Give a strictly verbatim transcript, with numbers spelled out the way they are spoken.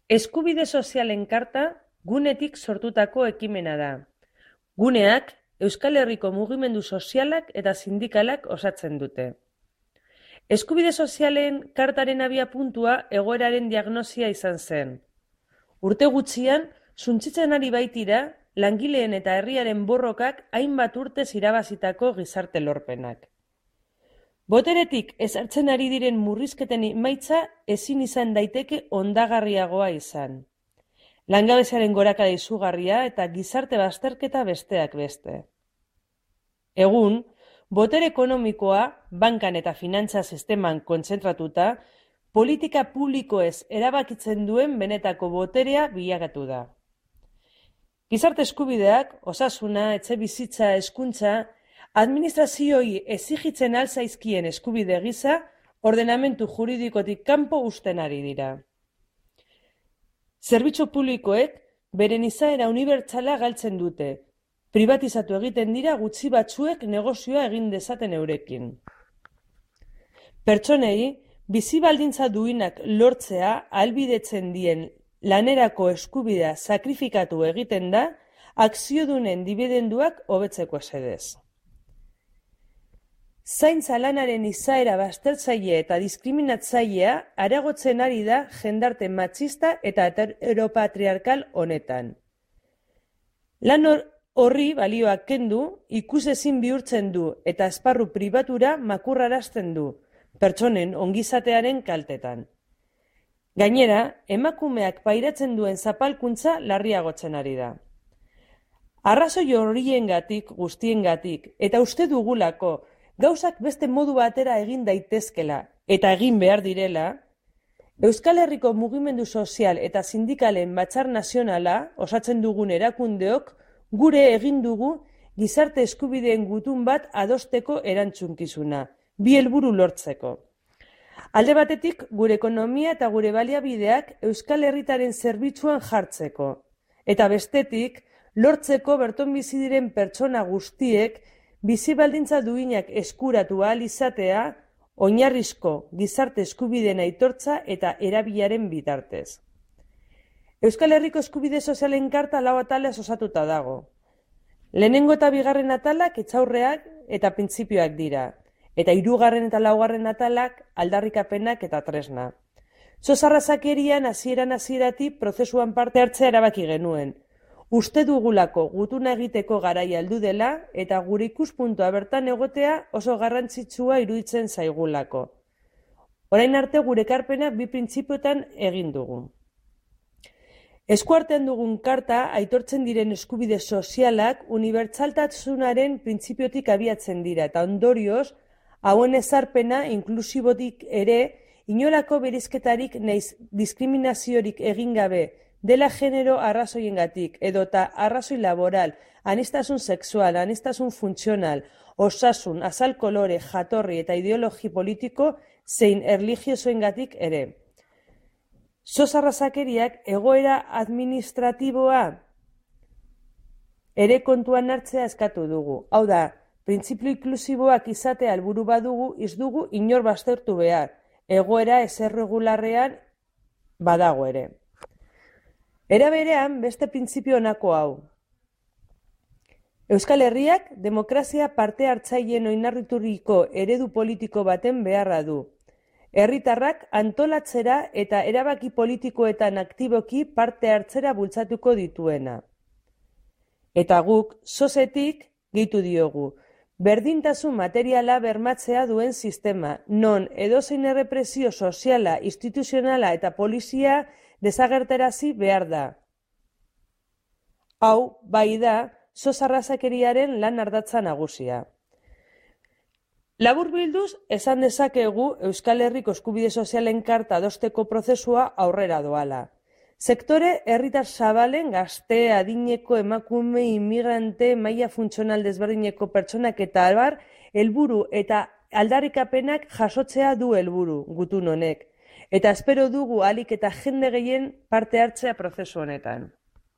Eskubide sozialen karta gunetik sortutako ekimena da. Guneak Euskal Herriko mugimendu sozialak eta sindikalak osatzen dute. Eskubide sozialen kartaren abiapuntua egoeraren diagnosia izan zen. Urte gutxian, suntsitzen ari baitira, langileen eta herriaren borrokak hainbat urtez irabazitako gizarte lorpenak. Boteretik ezartzen ari diren murrizketen emaitza ezin izan daiteke ondagarriagoa izan. Langabeziaren gorakada izugarria eta gizarte bazterketa besteak beste. Egun, botere ekonomikoa, bankan eta finantza sisteman kontzentratuta, politika publikoez erabakitzen duen benetako boterea bilakatu da. Gizarte eskubideak, osasuna, etxebizitza, hezkuntza, administrazioi exigitzen alzaizkien eskubide gisa, ordenamentu juridikotik kanpo uzten ari dira. Zerbitzu publikoek beren izaera unibertsala galtzen dute, pribatizatu egiten dira gutxi batzuek negozioa egin dezaten eurekin. Pertsonei, bizi baldintza duinak lortzea ahalbidetzen dien lanerako eskubidea sakrifikatu egiten da, akziodunen dibidenduak hobetzeko esedez. Zaintza lanaren izaera baztertzaile eta diskriminatzailea areagotzen ari da jendarte matxista eta heteropatriarkal honetan. Lan horri balioak kendu, ikusezin bihurtzen du eta esparru pribatura makurrarazten du, pertsonen ongizatearen kaltetan. Gainera, emakumeak pairatzen duen zapalkuntza larriagotzen ari da. Arrazoi horiengatik, guztiengatik, eta uste dugulako, gauzak beste modu batera egin daitezkela eta egin behar direla, Euskal Herriko mugimendu sozial eta sindikalen batzar nazionala osatzen dugun erakundeok gure egin dugu gizarte eskubideen gutun bat adosteko erantzunkizuna, bi helburu lortzeko. Alde batetik, gure ekonomia eta gure baliabideak Euskal Herritaren zerbitzuan jartzeko, eta bestetik, lortzeko berton bizi diren pertsona guztiek bizi baldintza duinak eskuratu ahal izatea, oinarrizko gizarte eskubideen aitortza eta erabilaren bitartez. Euskal Herriko eskubide sozialen karta lau atalez osatuta dago. Lehenengo eta bigarren atalak etxaurreak eta printzipioak dira, eta hirugarren eta laugarren atalak aldarrikapenak eta tresna. Zozarrazakerian hasieran hasieratik prozesuan parte hartzea erabaki genuen. Uste dugulako gutuna egiteko garaia heldu dela eta gure ikuspuntua bertan egotea oso garrantzitsua iruditzen zaigulako. Orain arte gure ekarpena bi printzipioetan egin dugu. Eskuartean dugun karta aitortzen diren eskubide sozialak unibertsaltasunaren printzipiotik abiatzen dira eta ondorioz hauen ezarpena inklusibotik ere inolako bereizketarik naiz diskriminaziorik egin gabe dela genero arrazoiengatik edota arrazoi laboral, aniztasun sexual, aniztasun funtzional, osasun, azal kolore, jatorri eta ideologi politiko zein erlijiosoengatik ere. Zozarrazakeriak egoera administratiboa ere kontuan hartzea eskatu dugu. Hau da, printzipio inklusiboak izatea helburu badugu, ez dugu inor baztertu behar, egoera ez erregularrean badago ere. Era berean, beste printzipio honako hau. Euskal Herriak demokrazia parte hartzaileen oinarrituriko eredu politiko baten beharra du. Herritarrak antolatzera eta erabaki politikoetan aktiboki parte hartzera bultzatuko dituena. Eta guk, sozetik, gehitu diogu, berdintasun materiala bermatzea duen sistema, non edozein errepresio soziala, instituzionala eta polizia desagertarazi behar da. Hau, bai da, zozarrazakeriaren lan ardatza nagusia. Laburbilduz, esan dezakegu Euskal Herriko eskubide sozialen karta adosteko prozesua aurrera doala. Sektore herritar zabalen gazte, adineko, emakume, inmigrante, maila funtzional desberdineko pertsonak eta albar, helburu eta aldarrikapenak jasotzea du helburu gutun honek. Eta espero dugu ahalik eta jende gehien parte hartzea prozesu honetan.